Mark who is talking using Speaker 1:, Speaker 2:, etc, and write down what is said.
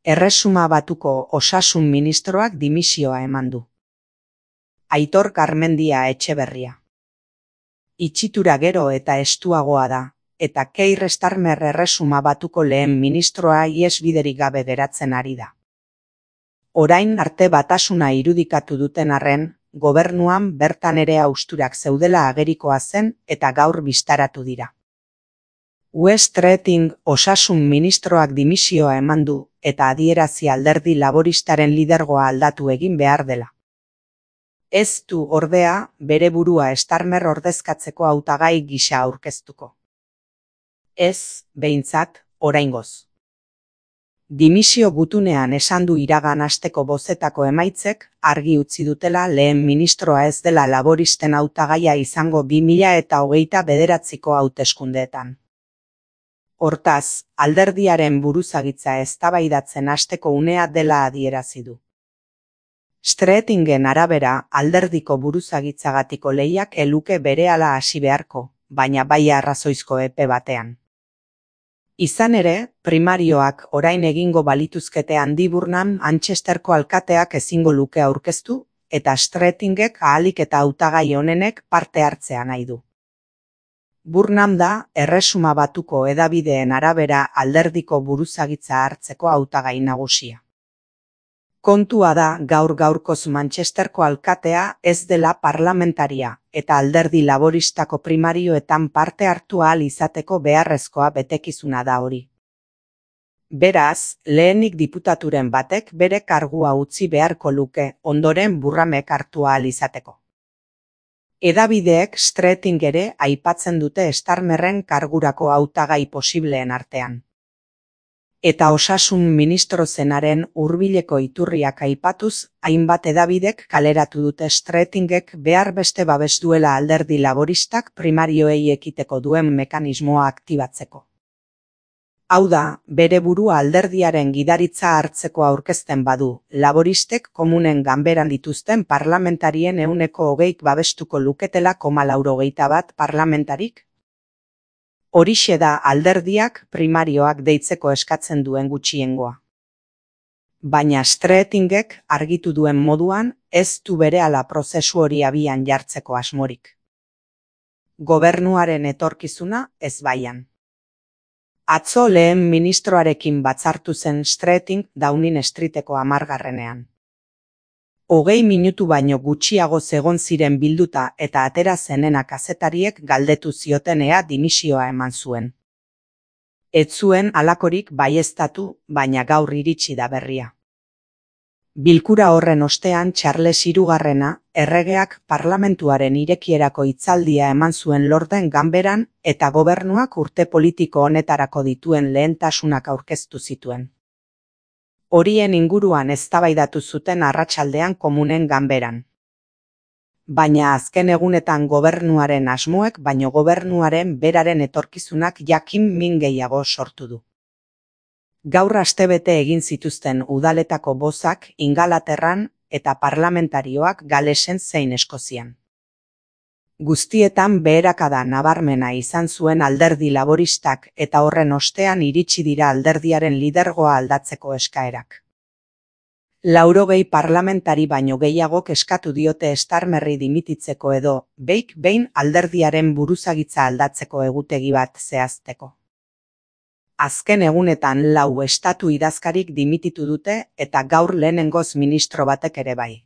Speaker 1: Erresuma Batuko osasun ministroak dimisioa eman du. Aitor Garmendia Etxeberria. Itxitura gero eta estuagoa da, eta Keir Starmer Erresuma Batuko lehen ministroa ihesbiderik gabe geratzen ari da. Orain arte batasuna irudikatu duten arren, gobernuan bertan ere hausturak zeudela agerikoa zen eta gaur bistaratu dira. West Reading osasun ministroak dimisioa eman du eta adierazi alderdi laboristaren lidergoa aldatu egin behar dela. Ez du ordea bere burua Starmer ordezkatzeko hautagai gisa aurkeztuko. Ez, behintzat, oraingoz. Dimisio gutunean esan du iragan asteko bozetako emaitzek argi utzi dutela lehen ministroa ez dela laboristen hautagaia izango 2029ko hauteskundeetan. Hortaz, alderdiaren buruzagitza eztabaidatzen hasteko unea dela adierazi du. Streetingen arabera, alderdiko buruzagitzagatiko lehiak eluke berehala hasi beharko, baina bai arrazoizko epe batean. Izan ere, primarioak orain egingo balituzkete Andy Burnham Manchesterko alkateak ezingo luke aurkeztu, eta Streetingek ahalik eta hautagai onenek parte hartzea nahi du. Burnham da, Erresuma Batuko hedabideen arabera alderdiko buruzagitza hartzeko hautagai nagusia. Kontua da gaur-gaurkoz Manchesterko alkatea ez dela parlamentaria eta alderdi laboristako primarioetan parte hartu ahal izateko beharrezkoa betekizuna da hori. Beraz, lehenik diputaturen batek bere kargua utzi beharko luke ondoren Burnhamek hartu ahal izateko. Hedabideek Streeting ere aipatzen dute Starmerren kargurako hautagai posibleen artean. Eta osasun ministro zenaren hurbileko iturriak aipatuz, hainbat hedabidek kaleratu dute Streetingek behar beste babes duela alderdi laboristak primarioei ekiteko duen mekanismoa aktibatzeko. Hau da, bere burua alderdiaren gidaritza hartzeko aurkezten badu, laboristek komunen ganberan dituzten parlamentarien 20% babestuko luketela 0,81 parlamentarik? Horixe da alderdiak primarioak deitzeko eskatzen duen gutxiengoa. Baina Streetingek argitu duen moduan ez du berehala prozesu hori abian jartzeko asmorik. Gobernuaren etorkizuna ez baian. Atzo lehen ministroarekin batzartu zen Streeting Downing Streeteko 10. 20 minutu baino gutxiago egon ziren bilduta eta atera zenena kazetariek galdetu zioten ea dimisioa eman zuen. Ez zuen halakorik baieztatu, baina gaur iritsi da berria. Bilkura horren ostean Charles III erregeak parlamentuaren irekierako hitzaldia eman zuen Lorden Ganberan eta gobernuak urte politiko honetarako dituen lehentasunak aurkeztu zituen. Horien inguruan eztabaidatu zuten arratsaldean komunen ganberan. Baina azken egunetan gobernuaren asmoek baino gobernuaren beraren etorkizunak jakin min gehiago sortu du. Gaur astebete egin zituzten udaletako bozak Ingalaterran eta parlamentarioak Galesen zein Eskozian. Guztietan beherakada nabarmena izan zuen alderdi laboristak eta horren ostean iritsi dira alderdiaren lidergoa aldatzeko eskaerak. 80 parlamentari baino gehiagok eskatu diote Starmerri dimititzeko edo, behin alderdiaren buruzagitza aldatzeko egutegi bat zehazteko. Azken egunetan 4 estatu idazkarik dimititu dute eta gaur lehenengoz ministro batek ere bai.